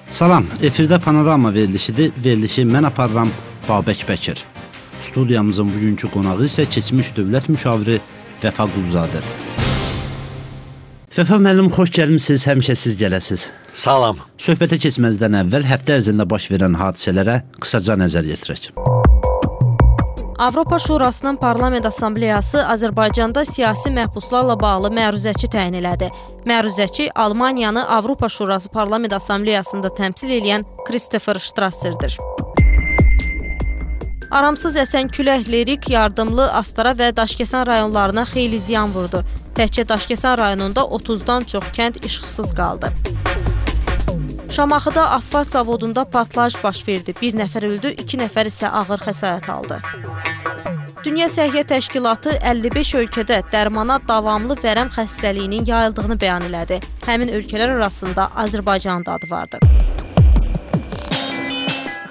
Salam, efirdə panorama verilişidir. Verilişi mən aparıram Babək Bəkir. Studiyamızın bugünkü qonağı isə keçmiş dövlət müşaviri Vəfa Quluzadə. Vəfa müəllim, xoş gəlmisiniz, həmişə siz gələsiz. Salam. Söhbətə keçməzdən əvvəl həftə ərzində baş verən hadisələrə qısaca nəzər yetirək. Avropa Şurasının Parlament Assambleyası Azərbaycanda siyasi məhbuslarla bağlı məruzəçi təyin elədi. Məruzəçi Almaniyanı Avropa Şurası Parlament Assambleyasında təmsil edən Christopher Strasserdir. Aramsız əsən külək Lerik, Yardımlı, Astara və Daşkəsən rayonlarına xeyli ziyan vurdu. Təkcə Daşkəsən rayonunda 30-dan çox kənd işıqsız qaldı. Şamaxıda asfalt zavodunda partlayış baş verdi. Bir nəfər öldü, 2 nəfər isə ağır xəsarət aldı. Dünya Səhiyyə Təşkilatı 55 ölkədə dərmana davamlı vərəm xəstəliyinin yayıldığını bəyan elədi. Həmin ölkələr arasında Azərbaycanın da adı vardı.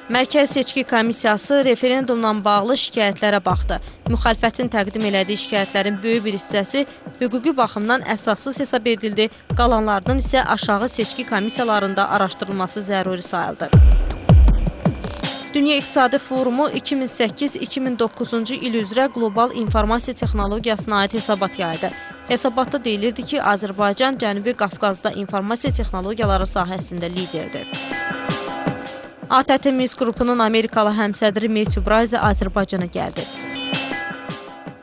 Mərkəzi Seçki Komissiyası referendumla bağlı şikayətlərə baxdı. Müxalifətin təqdim elədiyi şikayətlərin böyük bir hissəsi hüquqi baxımdan əsassız hesab edildi, qalanlarının isə aşağı seçki komissiyalarında araşdırılması zəruri sayıldı. Dünya İqtisadi Forumu 2008-2009-cu il üzrə qlobal informasiya texnologiyasına aid hesabat yaydı. Hesabatda deyilirdi ki, Azərbaycan Cənubi Qafqazda informasiya texnologiyaları sahəsində liderdir. ATƏT Minsk qrupunun Amerikalı həmsədri Matthew Bryce Azərbaycana gəldi.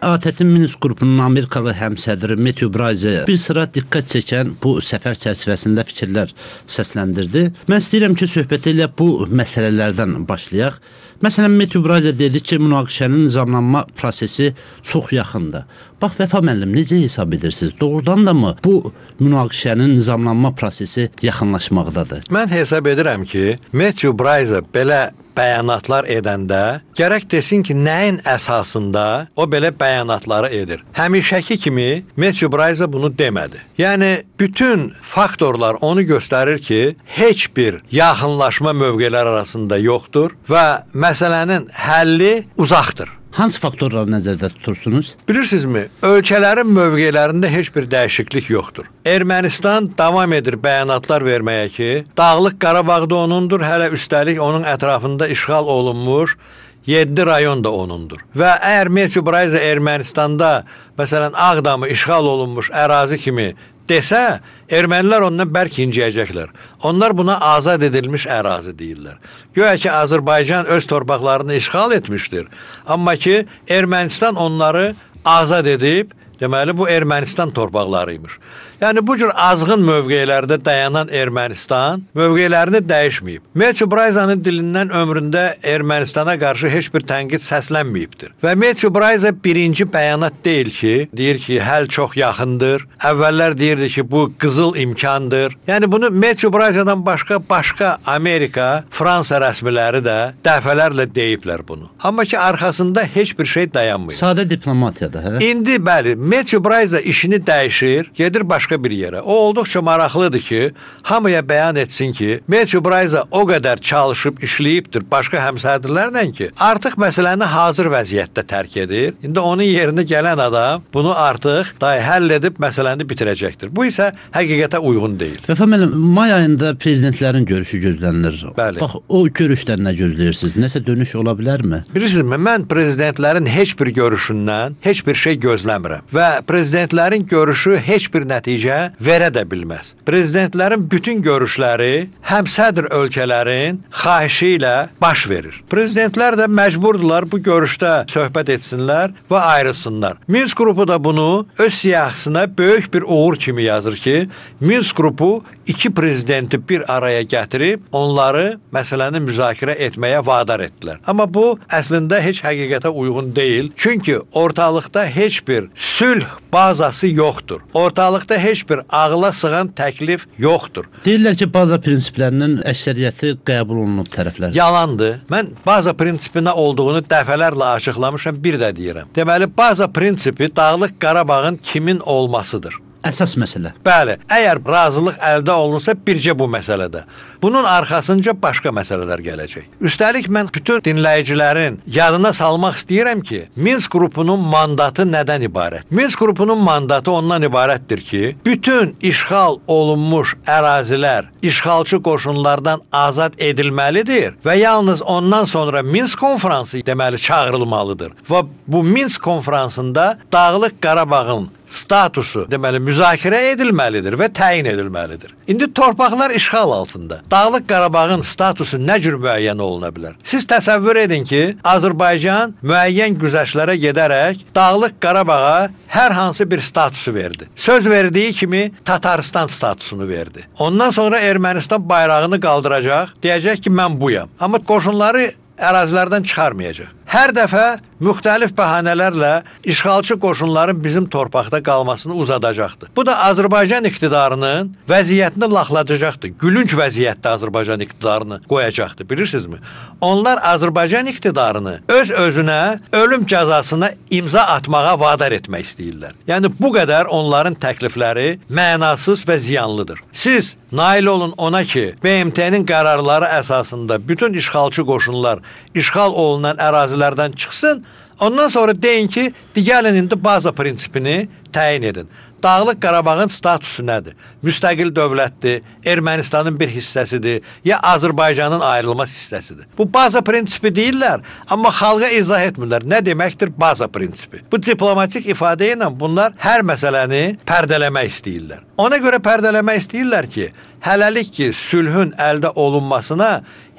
ATƏT Minsk qrupunun Amerikalı həmsədri Matthew Bryce bir sıra diqqət çəkən bu səfər çərçivəsində fikirlər səsləndirdi. Mən istəyirəm ki, söhbəti ilə bu məsələlərdən başlayaq. Məsələn, Matthew Bryce dedi ki, münaqişənin nizamlanma prosesi çox yaxındır. Bax, Vəfa müəllim, necə hesab edirsiniz? Doğrudan da mı bu münaqişənin nizamlanma prosesi yaxınlaşmaqdadır? Mən hesab edirəm ki, Matthew Bryce belə bəyanatlar edəndə gərək desin ki, nəyin əsasında o belə bəyanatları edir. Həmişəki kimi Matthew Bryce bunu demədi. Yəni, bütün faktorlar onu göstərir ki, heç bir yaxınlaşma mövqelər arasında yoxdur və məsələnin həlli uzaqdır. Hansı faktorları nəzərdə tutursunuz? Bilirsinizmi, ölkələrin mövqelərində heç bir dəyişiklik yoxdur. Ermənistan davam edir bəyanatlar verməyə ki, Dağlıq Qarabağda onundur, hələ üstəlik onun ətrafında işğal olunmuş 7 rayon da onundur. Və əgər Matthew Bryce Ermənistanda, məsələn, Ağdamı işğal olunmuş ərazi kimi desə, ermənilər ondan bərk inciyəcəklər. Onlar buna azad edilmiş ərazi deyirlər. Göyə ki, Azərbaycan öz torpaqlarını işğal etmişdir. Amma ki, Ermənistan onları azad edib, deməli, bu Ermənistan torpaqlarıymış. Yəni, bu cür azğın mövqelərdə dayanan Ermənistan mövqelerini dəyişməyib. Matthew Bryce'nin dilindən ömründə Ermənistana qarşı heç bir tənqid səslənməyibdir. Və Matthew Bryce birinci bəyanat deyil ki, deyir ki, həll çox yaxındır. Əvvəllər deyirdi ki, bu qızıl imkandır. Yəni, bunu Matthew Bryce'dan başqa Amerika, Fransa rəsmiləri də dəfələrlə deyiblər bunu. Amma ki, arxasında heç bir şey dayanmıyor. Sadə diplomatiyada, hə? İndi, bəli, Matthew Bryce işini dəyişir, gedir başqa bir yerə. O olduqca maraqlıdır ki, hamıya bəyan etsin ki, Matthew Bryce o qədər çalışıb, işləyibdir başqa həmsədrlərlə ki, artıq məsələni hazır vəziyyətdə tərk edir. İndi onun yerinə gələn adam bunu artıq həll edib məsələni bitirəcəkdir. Bu isə həqiqətə uyğun deyil. Vəfa müəllim, may ayında prezidentlərin görüşü gözlənilir. Bəli. Bax, o görüşdən nə gözləyirsiniz? Nəsə dönüş ola bilərmi? Bilirsinizmi, mən prezidentlərin heç bir görüşündən heç bir şey gözləmirəm. Və prezidentlərin görüşü heç bir nəticə verə də bilməz. Prezidentlərin bütün görüşləri həmsədr ölkələrin xahişi ilə baş verir. Prezidentlər də məcburdular bu görüşdə söhbət etsinlər və ayrılsınlar. Minsk qrupu da bunu öz siyahısına böyük bir uğur kimi yazır ki, Minsk qrupu 2 prezidenti bir araya gətirib onları məsələni müzakirə etməyə vadar etdilər. Amma bu əslində heç həqiqətə uyğun deyil. Çünki ortalıqda heç bir sülh bazası yoxdur. Ortalıqda heç bir ağla sığan təklif yoxdur. Deyirlər ki, baza prinsiplərinin əksəriyyəti qəbul olunub tərəflər. Yalandır. Mən baza prinsipinə olduğunu dəfələrlə açıqlamışam, bir də deyirəm. Deməli, baza prinsipi Dağlıq Qarabağın kimin olmasıdır. Əsas məsələ. Bəli, əgər razılıq əldə olunursa bircə bu məsələdə. Bunun arxasınca başqa məsələlər gələcək. Üstəlik mən bütün dinləyicilərin yadına salmaq istəyirəm ki, Minsk qrupunun mandatı nədən ibarət? Minsk qrupunun mandatı ondan ibarətdir ki, bütün işğal olunmuş ərazilər işğalçı qoşunlardan azad edilməlidir və yalnız ondan sonra Minsk konfransı deməli çağırılmalıdır. Və bu Minsk konfransında Dağlıq Qarabağın statusu deməli müzakirə edilməlidir və təyin edilməlidir. İndi torpaqlar işğal altında. Dağlıq Qarabağın statusu nə cür müəyyən oluna bilər? Siz təsəvvür edin ki, Azərbaycan müəyyən güzəştlərə gedərək Dağlıq Qarabağa hər hansı bir statusu verdi. Söz verdiyi kimi Tataristan statusunu verdi. Ondan sonra Ermənistan bayrağını qaldıracaq, deyəcək ki, mən buyam. Amma qoşunları ərazilərdən çıxarmayacaq. Hər dəfə müxtəlif bəhanələrlə işğalçı qoşunların bizim torpaqda qalmasını uzadacaqdır. Bu da Azərbaycan iqtidarının vəziyyətini laxladacaqdır. Gülünc vəziyyətdə Azərbaycan iqtidarını qoyacaqdır, bilirsinizmi? Onlar Azərbaycan iqtidarını öz-özünə ölüm cəzasına imza atmağa vadar etmək istəyirlər. Yəni bu qədər onların təklifləri mənasız və ziyanlıdır. Siz nail olun ona ki, BMT-nin qərarları əsasında bütün işğalçı qoşunlar işğal olunan ərazilərdən çıxsın, ondan sonra deyin ki, gəlin indi baza prinsipini təyin edin. Dağlıq Qarabağın statusu nədir? Müstəqil dövlətdir, Ermənistanın bir hissəsidir, ya Azərbaycanın ayrılmaz hissəsidir. Bu baza prinsipi deyirlər, amma xalqa izah etmirlər. Nə deməkdir baza prinsipi? Bu diplomatik ifadə ilə bunlar hər məsələni pərdələmək istəyirlər. Ona görə pərdələmək istəyirlər ki, hələlik ki, sülhün əldə olunmasına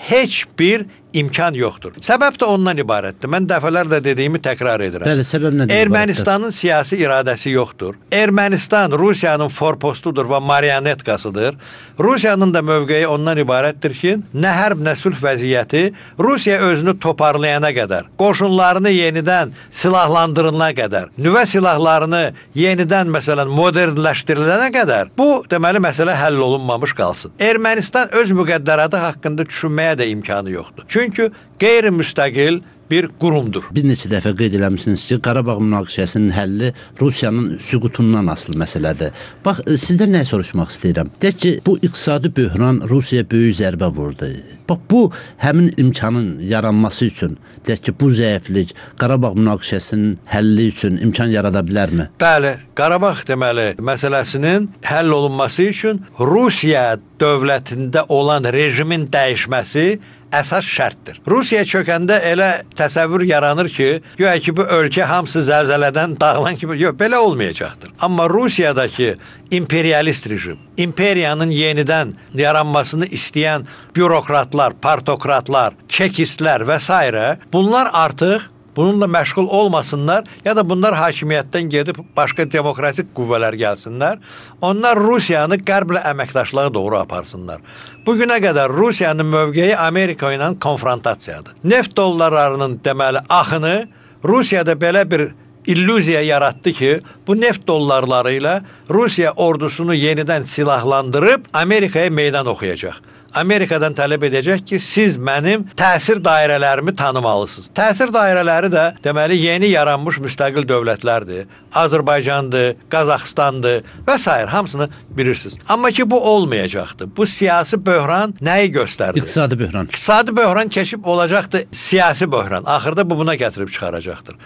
heç bir imkan yoxdur. Səbəb də ondan ibarətdir. Mən dəfələrlə dediyimi təkrar edirəm. Bəli, səbəb nədir? Ermənistanın siyasi iradəsi yoxdur. Ermənistan Rusiyanın forpostudur və marionetkasıdır. Rusiyanın da mövqeyi ondan ibarətdir ki, nə hərb, nə sülh vəziyyəti Rusiya özünü toparlayana qədər, qoşunlarını yenidən silahlandırılana qədər, nüvə silahlarını yenidən məsələn modernləşdirilənə qədər bu deməli məsələ həll olunmamış qalsın. Ermənistan öz müqəddəratı haqqında düşünməyə də imkanı yoxdur. Çünki qeyri-müstəqil bir qurumdur. Bir neçə dəfə qeyd eləmişsiniz ki, Qarabağ münaqişəsinin həlli Rusiyanın süqutundan asılı məsələdir. Bax, sizdən nə soruşmaq istəyirəm? Deyək ki, bu iqtisadi böhran Rusiyaya böyük zərbə vurdu. Bax, bu həmin imkanın yaranması üçün, deyək ki, bu zəiflik Qarabağ münaqişəsinin həlli üçün imkan yarada bilərmi? Bəli, Qarabağ deməli məsələsinin həll olunması üçün Rusiya dövlətində olan rejimin dəyişməsi əsas şərtdir. Rusiya çökəndə elə təsəvvür yaranır ki, güya ki, bu ölkə hamısı zəlzələdən dağılan kimi, yox, belə olmayacaqdır. Amma Rusiyadakı imperialist rejim, imperiyanın yenidən yaranmasını istəyən bürokratlar, partokratlar, çekistlər və s. bunlar artıq bununla məşğul olmasınlar ya da bunlar hakimiyyətdən gedib başqa demokratik qüvvələr gəlsinlər. Onlar Rusiyanı qərblə əməkdaşlığa doğru aparsınlar. Bugünə qədər Rusiyanın mövqeyi Amerika ilə konfrontasiyadır. Neft dollarlarının deməli axını Rusiyada belə bir illüziya yaratdı ki, bu neft dollarları ilə Rusiya ordusunu yenidən silahlandırıb Amerikaya meydan oxuyacaq. Amerikadan tələb edəcək ki, siz mənim təsir dairələrimi tanımalısınız. Təsir dairələri də deməli yeni yaranmış müstəqil dövlətlərdir. Azərbaycandır, Qazaxıstandır və s. hamısını bilirsiniz. Amma ki, bu olmayacaqdır. Bu siyasi böhran nəyi göstərdi? İqtisadi böhran. İqtisadi böhran keçib olacaqdır siyasi böhran. Axırda bu buna gətirib çıxaracaqdır.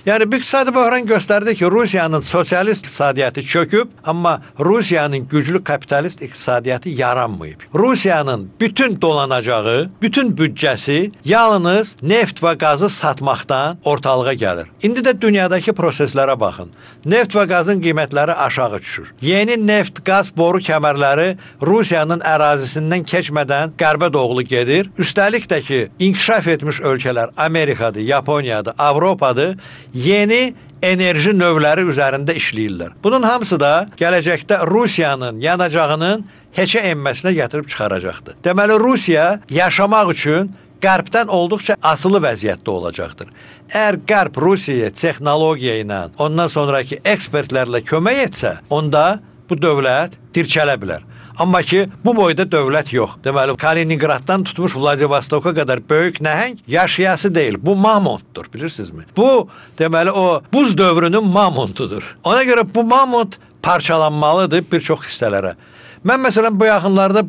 Yəni, bu iqtisadi böhran göstərdi ki, Rusiyanın sosialist iqtisadiyyatı çöküb, amma Rusiyanın güclü kapitalist iqtisadiyyatı yaranmayıb. Rusiyanın bütün dolanacağı, bütün büdcəsi yalnız neft və qazı satmaqdan ortalığa gəlir. İndi də dünyadakı proseslərə baxın. Neft və qazın qiymətləri aşağı düşür. Yeni neft, qaz boru kəmərləri Rusiyanın ərazisindən keçmədən qərbə doğru gedir. Üstəlik də ki, inkişaf etmiş ölkələr Amerikadır, Yaponiyadır, Avropadır, yeni enerji növləri üzərində işləyirlər. Bunun hamısı da gələcəkdə Rusiyanın yanacağının heçə enməsinə gətirib çıxaracaqdır. Deməli, Rusiya yaşamaq üçün qərbdən olduqca asılı vəziyyətdə olacaqdır. Əgər qərb Rusiyaya texnologiya ilə, ondan sonraki ekspertlərlə kömək etsə, onda bu dövlət dirçələ bilər. Amma ki, bu boyda dövlət yox. Deməli, Kaliningraddan tutmuş Vladivostoka qədər böyük nəhəng yaşayası deyil. Bu mamontdur, bilirsinizmi? Bu, deməli, o buz dövrünün mamontudur. Ona görə bu mamont parçalanmalıdır bir çox hissələrə. Mən məsələn bu yaxınlarda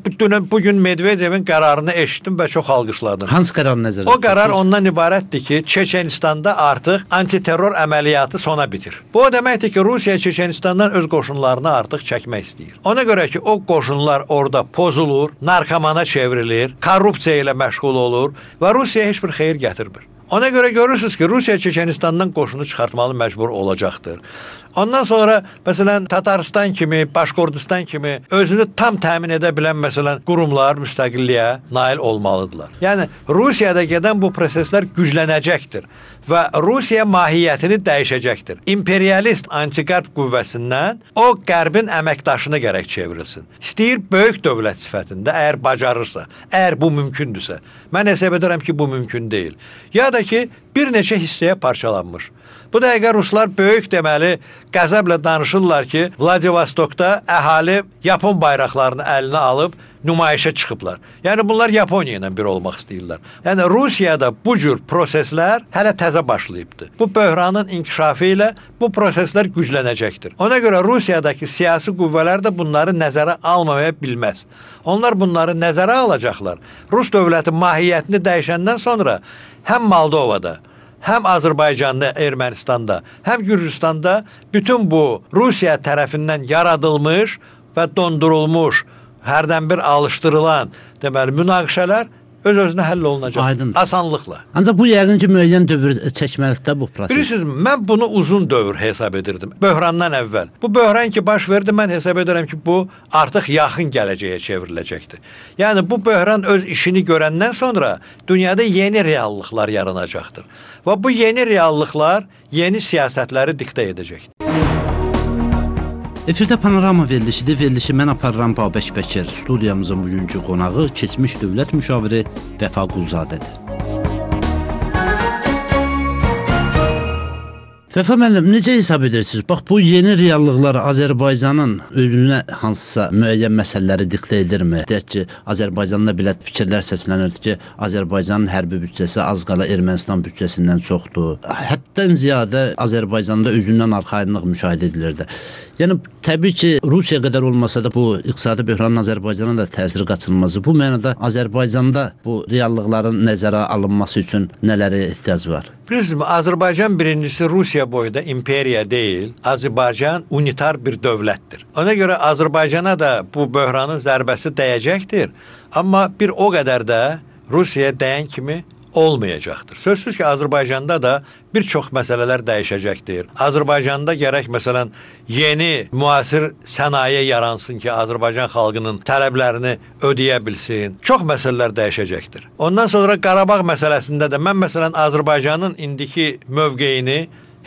bugün Medvedevin qərarını eşitdim və çox alqışladım. Hansı qərar nəzərdə O qərar ondan ibarətdir ki, Çeçenistanda artıq antiterror əməliyyatı sona bitir. Bu o deməkdir ki, Rusiya Çeçenistandan öz qoşunlarını artıq çəkmək istəyir. Ona görə ki, o qoşunlar orada pozulur, narkomana çevrilir, korrupsiya ilə məşğul olur və Rusiya heç bir xeyir gətirmir. Ona görə görürsünüz ki, Rusiya Çeçenistandan qoşunu çıxartmalı məcbur olacaqdır. Ondan sonra məsələn Tataristan kimi, Başkordistan kimi özünü tam təmin edə bilən məsələn qurumlar müstəqilliyə nail olmalıdırlar. Yəni Rusiyada gedən bu proseslər güclənəcəkdir və Rusiya mahiyyətini dəyişəcəkdir. İmperialist antiqərb qüvvəsindən o qərbin əməkdaşını gərək çevrilsin. İstəyir böyük dövlət sifətində, əgər bacarırsa, əgər bu mümkündürsə. Mən hesab edirəm ki, bu mümkün deyil. Ya da ki, bir neçə hissəyə parçalanmış. Bu dəqiqə ruslar böyük deməli qəzəblə danışırlar ki, Vladivostokda əhali Yapon bayraqlarını əlinə alıb nümayişə çıxıblar. Yəni bunlar Yaponiya ilə bir olmaq istəyirlər. Yəni Rusiyada bu cür proseslər hələ təzə başlayıbdır. Bu böhranın inkişafı ilə bu proseslər güclənəcəkdir. Ona görə Rusiyadakı siyasi qüvvələr də bunları nəzərə almaya bilməz. Onlar bunları nəzərə alacaqlar. Rus dövləti mahiyyətini dəyişəndən sonra həm Moldovada, həm Azərbaycanda, Ermənistanda, həm Gürcüstanda bütün bu Rusiya tərəfindən yaradılmış və dondurulmuş, hərdən bir alışdırılan deməli münaqişələr öz-özünə həll olunacaq. Aydındır. Asanlıqla. Ancaq bu yəqin ki, müəyyən dövr çəkməlikdə bu proses. Bilirsiniz, mən bunu uzun dövr hesab edirdim. Böhrandan əvvəl. Bu böhran ki baş verdi, mən hesab edirəm ki, bu artıq yaxın gələcəyə çevriləcəkdir. Yəni bu böhran öz işini görəndən sonra dünyada yeni reallıqlar yaranacaqdır. Və bu yeni reallıqlar yeni siyasətləri diktə edəcəkdir. Efirdə Panorama verilişidir. Verilişi mən aparıram Babək Bəkir. Studiyamızın bugünkü qonağı keçmiş dövlət müşaviri Vəfa Qulzadədir. Vəfa müəllim, necə hesab edirsiniz? Bax, bu yeni reallıqlar Azərbaycanın özünə hansısa müəyyən məsələləri diktə edirmi? Deyək ki, Azərbaycanda belə fikirlər səslənirdi ki, Azərbaycanın hərbi büdcəsi az qala Ermənistan büdcəsindən çoxdur. Həddən ziyadə Azərbaycanda özündən arxayınlıq müşahidə edilirdi. Yəni, təbii ki, Rusiya qədər olmasa da bu iqtisadi böhranın Azərbaycana da təsiri qaçılmazı. Bu mənada Azərbaycanda bu reallıqların nəzərə alınması üçün nələrə ehtiyac var? Bilirsiniz, Azərbaycan birincisi Rusiya boyda imperiya deyil, Azərbaycan unitar bir dövlətdir. Ona görə Azərbaycana da bu böhranın zərbəsi dəyəcəkdir, amma bir o qədər də Rusiyaya dəyən kimi olmayacaqdır. Sözsüz ki, Azərbaycanda da bir çox məsələlər dəyişəcəkdir. Azərbaycanda gərək məsələn yeni müasir sənaye yaransın ki, Azərbaycan xalqının tələblərini ödəyə bilsin. Çox məsələlər dəyişəcəkdir. Ondan sonra Qarabağ məsələsində də mən məsələn Azərbaycanın indiki mövqeyini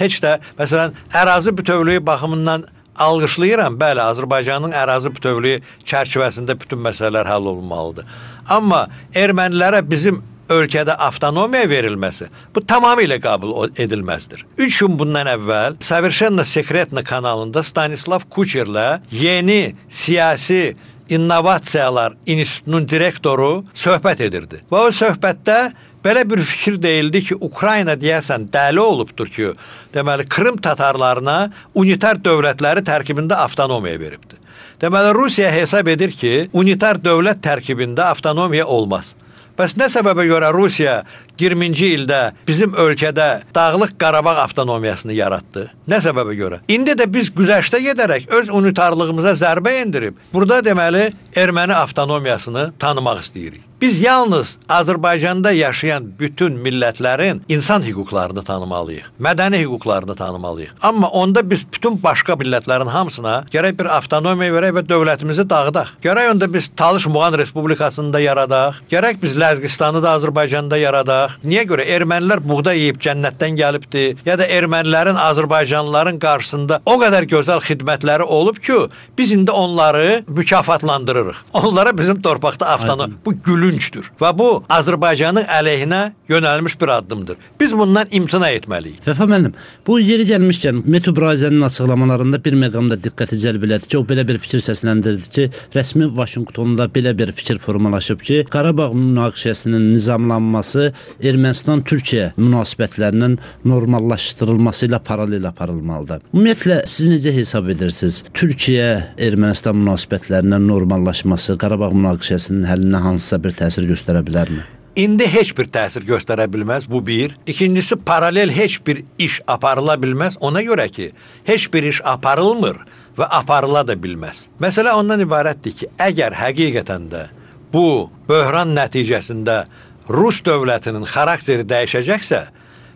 heç də məsələn ərazi bütövlüyü baxımından alqışlayıram. Bəli, Azərbaycanın ərazi bütövlüyü çərçivəsində bütün məsələlər həll olunmalıdır. Amma ermənilərə bizim ölkədə avtonomiya verilməsi bu tamamilə qəbul edilməzdir. 3 gün bundan əvvəl Совершенно Sekretno kanalında Stanislav Kucherlə yeni siyasi innovasiyalar institutunun direktoru söhbət edirdi. Və o söhbətdə belə bir fikir deyildi ki, Ukrayna deyəsən dəli olubdur ki, deməli Krım tatarlarına unitar dövlətləri tərkibində avtonomiya veribdir. Deməli Rusiya hesab edir ki, unitar dövlət tərkibində avtonomiya olmaz. Bəs nə səbəbə görə Rusiya 20-ci ildə bizim ölkədə Dağlıq Qarabağ avtonomiyasını yaratdı? Nə səbəbə görə? İndi də biz güzəştə gedərək öz unitarlığımıza zərbə endirib, burada deməli erməni avtonomiyasını tanımaq istəyirik. Biz yalnız Azərbaycanda yaşayan bütün millətlərin insan hüquqlarını tanımalıyıq, mədəni hüquqlarını tanımalıyıq. Amma onda biz bütün başqa millətlərin hamısına gərək bir avtonomiya verək və dövlətimizi dağıdaq. Gərək onda biz Talış Muğan Respublikasını da yaradaq, gərək biz Ləzgistanı da Azərbaycanda yaradaq. Niyə görə? Ermənilər buğda yeyib cənnətdən gəlibdi, ya da ermənilərin Azərbaycanlıların qarşısında o qədər gözəl xidmətləri olub ki, biz indi onları mükafatlandırırıq. Onlara bizim torpaqda avtonomiya, bu gülün gülüncdür və bu Azərbaycanın əleyhinə yönəlmiş bir addımdır. Biz bundan imtina etməliyik. Vəfa müəllim, bu yeri gəlmişkən Metew Bryce'nin açıqlamalarında bir məqamda diqqəti cəlb elədi ki, o belə bir fikir səsləndirdi ki, rəsmi Vaşinqtonda belə bir fikir formalaşıb ki, Qarabağ münaqişəsinin nizamlanması Ermənistan-Türkiyə münasibətlərinin normallaşdırılması ilə paralel aparılmalıdır. Ümumiyyətlə, siz necə hesab edirsiniz? Türkiyə-Ermənistan münasibətlərinin normallaşması Qarabağ münaqişəsinin həllinə hansısa bir təsir göstərə bilərmi? İndi heç bir təsir göstərə bilməz, bu bir. İkincisi, paralel heç bir iş aparıla bilməz, ona görə ki, heç bir iş aparılmır və aparıla da bilməz. Məsələ ondan ibarətdir ki, əgər həqiqətən də bu böhran nəticəsində Rus dövlətinin xarakteri dəyişəcəksə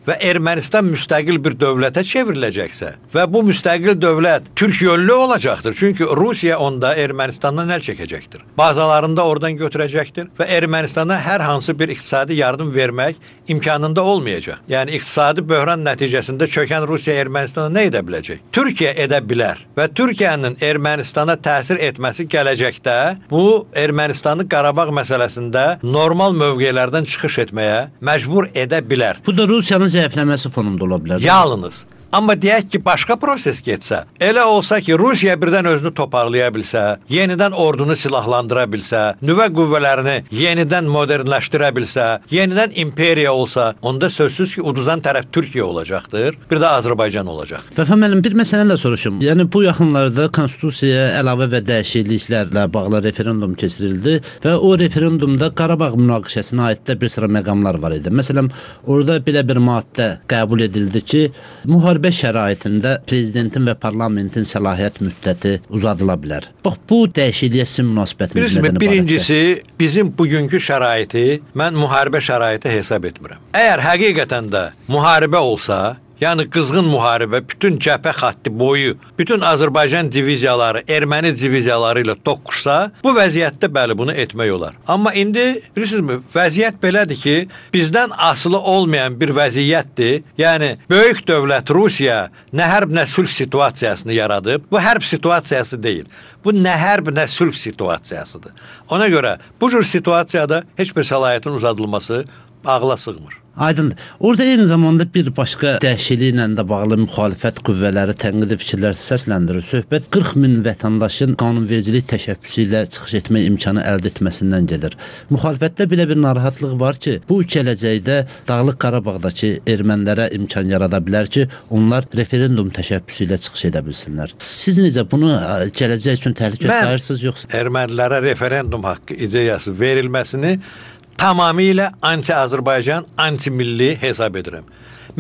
və Ermənistan müstəqil bir dövlətə çevriləcəksə və bu müstəqil dövlət Türk yönlü olacaqdır. Çünki Rusiya onda Ermənistandan əl çəkəcəkdir. Bazalarında oradan götürəcəkdir və Ermənistana hər hansı bir iqtisadi yardım vermək imkanında olmayacaq. Yəni iqtisadi böhran nəticəsində çökən Rusiya Ermənistana nə edə biləcək? Türkiyə edə bilər və Türkiyənin Ermənistana təsir etməsi gələcəkdə bu Ermənistanı Qarabağ məsələsində normal mövqelərdən çıxış etməyə məcbur edə bilər. Bu da Rusiyanın zəifləməsi fonunda ola bilər. Yalnız. Amma deyək ki, başqa proses getsə, elə olsa ki, Rusiya birdən özünü toparlaya bilsə, yenidən ordunu silahlandıra bilsə, nüvə qüvvələrini yenidən modernləşdirə bilsə, yenidən imperiya olsa, onda sözsüz ki, uduzan tərəf Türkiyə olacaqdır, bir də Azərbaycan olacaq. Vəfa müəllim, bir məsələ də soruşum. Yəni bu yaxınlarda konstitusiyaya əlavə və dəyişikliklərlə bağlı referendum keçirildi və o referendumda Qarabağ münaqişəsinə aid də bir sıra məqamlar var idi. Məsələn, orada belə bir maddə qəbul edildi ki, müharibə şəraitində prezidentin və parlamentin səlahiyyət müddəti uzadıla bilər. Bax, bu dəyişikliyə sizin münasibətiniz nədən ibarətdir? Birincisi, bizim bugünkü şəraiti mən müharibə şəraiti hesab etmirəm. Əgər həqiqətən də müharibə olsa, yəni qızğın müharibə, bütün cəbhə xətti boyu, bütün Azərbaycan diviziyaları, erməni diviziyaları ilə toqquşsa, bu vəziyyətdə bəli bunu etmək olar. Amma indi bilirsinizmi, vəziyyət belədir ki, bizdən asılı olmayan bir vəziyyətdir. Yəni böyük dövlət Rusiya nə hərb, nə sülh situasiyasını yaradıb. Bu hərb situasiyası deyil. Bu nə hərb, nə sülh situasiyasıdır. Ona görə bu cür situasiyada heç bir səlahiyyətin uzadılması ağla sığmır. Aydındır. Orada eyni zamanda bir başqa dəyişikliklə də bağlı müxalifət qüvvələri tənqidi fikirlər səsləndirir. Söhbət 40 min vətəndaşın qanunvericilik təşəbbüsü ilə çıxış etmə imkanı əldə etməsindən gedir. Müxalifətdə belə bir narahatlıq var ki, bu gələcəkdə Dağlıq Qarabağdakı ermənilərə imkan yarada bilər ki, onlar referendum təşəbbüsü ilə çıxış edə bilsinlər. Siz necə bunu gələcək üçün təhlükə sayırsınız yoxsa? Ermənilərə referendum haqqı ideyası verilməsini tamamilə anti-Azərbaycan, anti-milli hesab edirəm.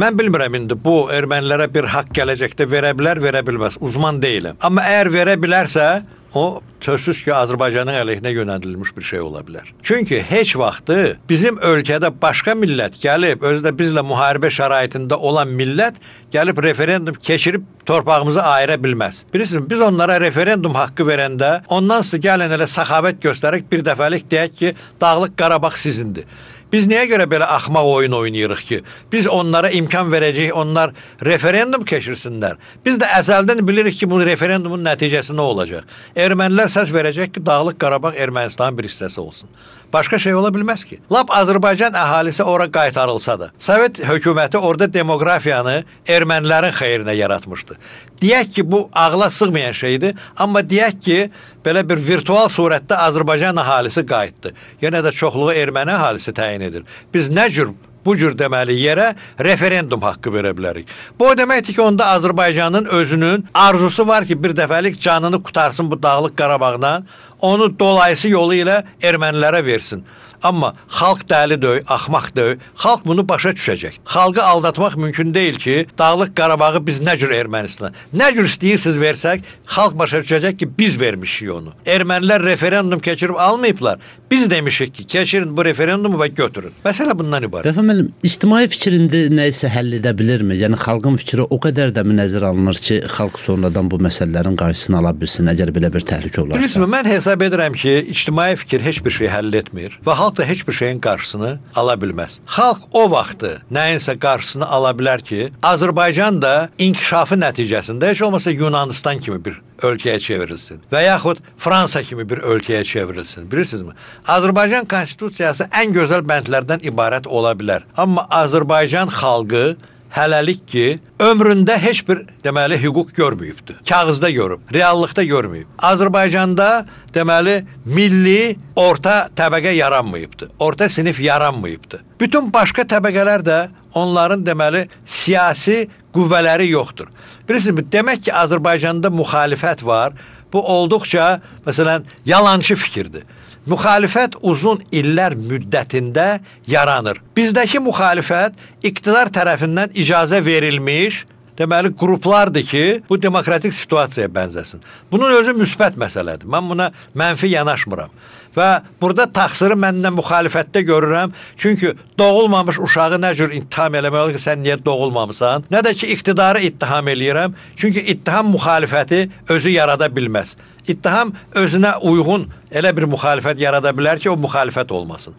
Mən bilmirəm indi bu ermənilərə bir haqq gələcəkdə verə bilər, verə bilməz. Uzman deyiləm. Amma əgər verə bilərsə, o sözsüz ki, Azərbaycanın əleyhinə yönəldilmiş bir şey ola bilər. Çünki heç vaxtı bizim ölkədə başqa millət gəlib, özü də bizlə müharibə şəraitində olan millət gəlib referendum keçirib torpağımızı ayıra bilməz. Bilirsiniz, biz onlara referendum haqqı verəndə, ondan sonra gəlin elə səxavət göstərək, bir dəfəlik deyək ki, Dağlıq Qarabağ sizindir. Biz niyə görə belə axmaq oyun oynayırıq ki? Biz onlara imkan verəcəyik, onlar referendum keçirsinlər. Biz də əzəldən bilirik ki, bu referendumun nəticəsi nə olacaq? Ermənilər səs verəcək ki, Dağlıq Qarabağ Ermənistanın bir hissəsi olsun. Başqa şey ola bilməz ki. Lap Azərbaycan əhalisi ora qaytarılsa da, Sovet hökuməti orada demografiyanı ermənilərin xeyrinə yaratmışdı. Deyək ki, bu ağla sığmayan şeydir, amma deyək ki, belə bir virtual surətdə Azərbaycan əhalisi qayıtdı. Yenə də çoxluğu erməni əhalisi təyin edir. Biz nə cür bu cür deməli yerə referendum haqqı verə bilərik. Bu o deməkdir ki, onda Azərbaycanın özünün arzusu var ki, bir dəfəlik canını qutarsın bu Dağlıq Qarabağdan, onu dolayısı yolu ilə ermənilərə versin. Amma xalq dəli deyil, axmaq deyil. Xalq bunu başa düşəcək. Xalqı aldatmaq mümkün deyil ki, Dağlıq Qarabağı biz nə cür Ermənistana, nə cür istəyirsiniz versək, xalq başa düşəcək ki, biz vermişik onu. Ermənilər referendum keçirib almayıblar. Biz demişik ki, keçirin bu referendumu və götürün. Məsələ bundan ibarət. Rəfa müəllim, ictimai fikrində nə isə həll edə bilirmi? Yəni xalqın fikri o qədər də mi nəzərə alınır ki, xalq sonradan bu məsələlərin qarşısını ala bilsin, əgər belə bir təhlükə olarsa? Bilirsiniz, mən hesab hesab edirəm ki, ictimai fikir heç bir şey həll etmir və xalq da heç bir şeyin qarşısını ala bilməz. Xalq o vaxtı nəyinsə qarşısını ala bilər ki, Azərbaycan da inkişafı nəticəsində heç olmasa Yunanistan kimi bir ölkəyə çevrilsin və yaxud Fransa kimi bir ölkəyə çevrilsin. Bilirsinizmi? Azərbaycan konstitusiyası ən gözəl bəndlərdən ibarət ola bilər. Amma Azərbaycan xalqı hələlik ki, ömründə heç bir deməli hüquq görməyibdir. Kağızda görüb, reallıqda görməyib. Azərbaycanda deməli milli orta təbəqə yaranmayıbdır. Orta sinif yaranmayıbdır. Bütün başqa təbəqələr də onların deməli siyasi qüvvələri yoxdur. Bilirsiniz, demək ki, Azərbaycanda müxalifət var. Bu olduqca məsələn yalançı fikirdir. Müxalifət uzun illər müddətində yaranır. Bizdəki müxalifət iqtidar tərəfindən icazə verilmiş, deməli qruplardır ki, bu demokratik situasiyaya bənzəsin. Bunun özü müsbət məsələdir. Mən buna mənfi yanaşmıram. Və burada təqsiri məndən müxalifətdə görürəm. Çünki doğulmamış uşağı nə cür ittiham eləmək olur ki, sən niyə doğulmamısan? Nə də ki, iqtidarı ittiham eləyirəm. Çünki ittiham müxalifəti özü yarada bilməz. İttiham özünə uyğun elə bir müxalifət yarada bilər ki, o müxalifət olmasın.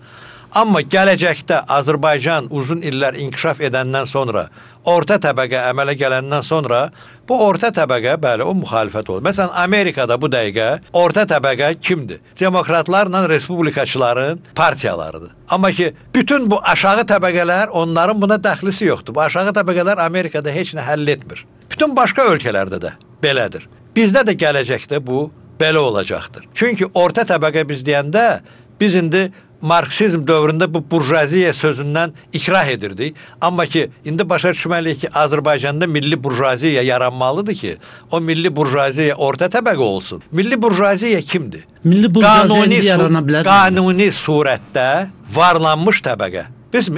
Amma gələcəkdə Azərbaycan uzun illər inkişaf edəndən sonra, orta təbəqə əmələ gələndən sonra, bu orta təbəqə, bəli, o müxalifət olur. Məsələn, Amerikada bu dəqiqə orta təbəqə kimdir? Demokratlarla respublikaçıların partiyalarıdır. Amma ki, bütün bu aşağı təbəqələr, onların buna dəxlisi yoxdur. Bu aşağı təbəqələr Amerikada heç nə həll etmir. Bütün başqa ölkələrdə də belədir. Bizdə də gələcəkdə bu belə olacaqdır. Çünki orta təbəqə biz deyəndə, biz indi Marksizm dövründə bu burjuaziya sözündən ikrah edirdik. Amma ki, indi başa düşməliyik ki, Azərbaycanda milli burjuaziya yaranmalıdır ki, o milli burjuaziya orta təbəqə olsun. Milli burjuaziya kimdir? Milli burjuaziya indi yarana bilər. Qanuni surətdə varlanmış təbəqə.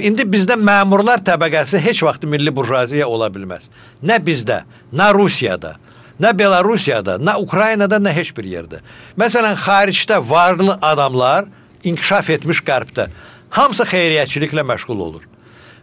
İndi bizdə məmurlar təbəqəsi heç vaxt milli burjuaziya ola bilməz. Nə bizdə, nə Rusiyada, nə Belarusiyada, nə Ukraynada, nə heç bir yerdə. Məsələn, xaricdə varlı adamlar inkişaf etmiş qərbdə hamısı xeyriyyəçiliklə məşğul olur.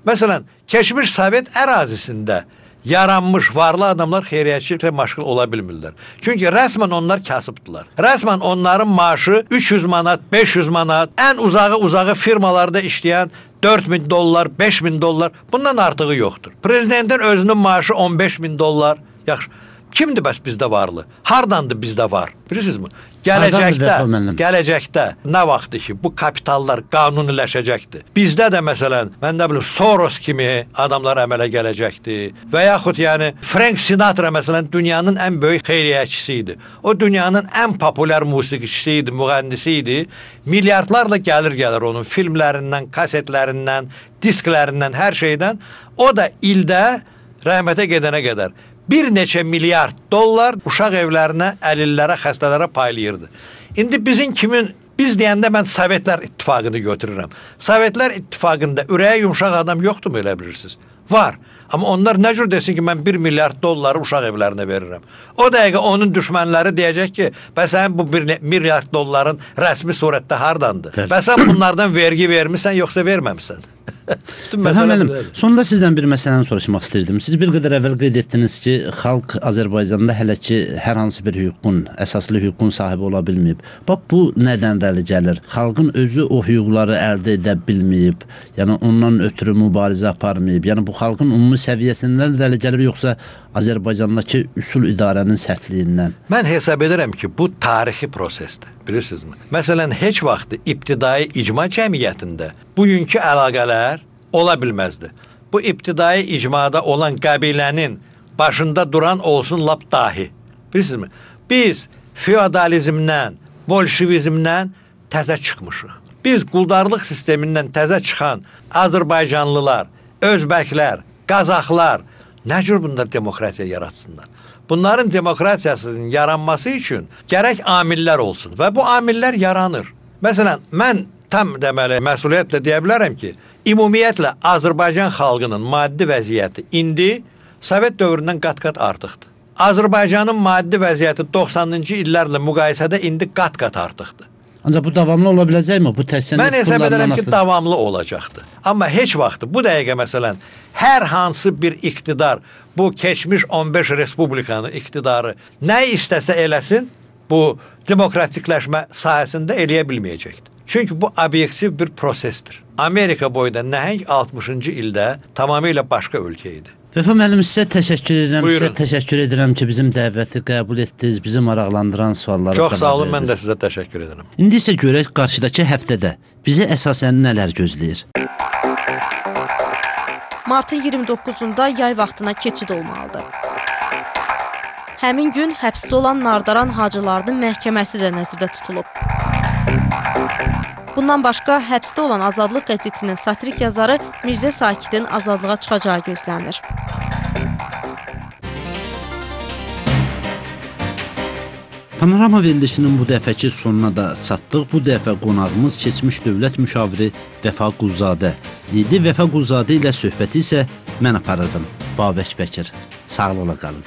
Məsələn, keçmiş Sovet ərazisində yaranmış varlı adamlar xeyriyyəçiliklə məşğul ola bilmirlər. Çünki rəsmən onlar kasıbdılar. Rəsmən onların maaşı 300 manat, 500 manat, ən uzağı firmalarda işləyən $4.000, $5.000, bundan artığı yoxdur. Prezidentin özünün maaşı $15.000. Yaxşı. Kimdir bəs bizdə varlı? Hardandır bizdə var? Bilirsinizmi? Gələcəkdə nə vaxtdır ki, bu kapitallar qanuniləşəcəkdir. Bizdə də məsələn, mən nə bilim, Soros kimi adamlar əmələ gələcəkdir. Və yaxud yəni Frank Sinatra məsələn dünyanın ən böyük xeyriyyəçisi idi. O dünyanın ən populyar musiqiçisi idi, müğənnisi idi. Milyardlarla gəlir onun filmlərindən, kasetlərindən, disklərindən, hər şeydən. O da ildə rəhmətə gedənə qədər bir neçə milyard dollar uşaq evlərinə, əlillərə, xəstələrə paylayırdı. İndi biz deyəndə mən Sovetlər İttifaqını götürürəm. Sovetlər İttifaqında ürəyə yumşaq adam yoxdur mu, elə bilirsiniz? Var. Amma onlar nə cür desin ki, mən 1 milyard dolları uşaq evlərinə verirəm. O dəqiqə onun düşmənləri deyəcək ki, bəsən bu 1 milyard dolların rəsmi surətdə hardandır? Bəsən bunlardan vergi vermirsən, yoxsa verməmsən? Sonunda sizdən bir məsələni soruşmaq istəyirdim. Siz bir qədər əvvəl qeyd etdiniz ki, xalq Azərbaycanda hələ ki hər hansı bir hüququn, əsaslı hüququn sahibi ola bilməyib. Bax, bu nədən irəli gəlir? Xalqın özü o hüquqları əldə edə bilməyib, yəni ondan ötürü mübarizə aparmayıb. Yəni bu xalqın ümumi səviyyəsindən irəli gəlir, yoxsa Azərbaycandakı üsul idarənin sərtliyindən? Mən hesab edirəm ki, bu tarixi prosesdir. Bilirsinizmi? Məsələn, heç vaxt ibtidai icma cəmiyyətində bugünkü əlaqələr ola bilməzdi. Bu ibtidai icmada olan qəbilənin başında duran olsun lap dahi. Bilirsinizmi? Biz feodalizmdən, bolşevizmdən təzə çıxmışıq. Biz quldarlıq sistemindən təzə çıxan Azərbaycanlılar, Özbəklər, Qazaxlar nə cür bunlar demokratiya yaratsınlar? Bunların demokratiyasının yaranması üçün gərək amillər olsun və bu amillər yaranır. Məsələn, mən tam deməli məsuliyyətlə deyə bilərəm ki, ümumiyyətlə Azərbaycan xalqının maddi vəziyyəti indi Sovet dövründən qat-qat artıqdır. Azərbaycanın maddi vəziyyəti 90-cı illərlə müqayisədə indi qat-qat artıqdır. Ancaq bu davamlı ola biləcəkmi? Bu təkcə mən hesab edirəm ki, davamlı olacaqdır. Amma heç vaxt bu dəqiqə məsələn hər hansı bir iqtidar, bu keçmiş 15 respublikanın iqtidarı nə istəsə eləsin, bu demokratikləşmə sahəsində eləyə bilməyəcəkdir. Çünki bu obyektiv bir prosesdir. Amerika boyda nəhəng 60-cı ildə tamamilə başqa ölkə idi. Vəfa müəllim, sizə təşəkkür edirəm. Buyurun. Sizə təşəkkür edirəm ki, bizim dəvəti qəbul etdiniz, bizi maraqlandıran suallara Çox sağ olun, verdiniz. mən də sizə təşəkkür edirəm. İndi isə görək qarşıdakı həftədə bizi əsasən nələr gözləyir. Martın 29-da yay vaxtına keçid olmalıdır. Həmin gün həbsdə olan Nardaran Hacılarının məhkəməsi də nəzərdə tutulub. Bundan başqa, həbsdə olan Azadlıq qəzetinin satirik yazarı Mirzə Sakidin azadlığa çıxacağı gözlənilir. Panorama verilişinin bu dəfəki sonuna da çatdıq. Bu dəfə qonağımız keçmiş dövlət müşaviri Vəfa Quluzadə idi. Vəfa Quluzadə ilə söhbəti isə mən aparırdım. Babək Bəkir. Sağlıqla qalın.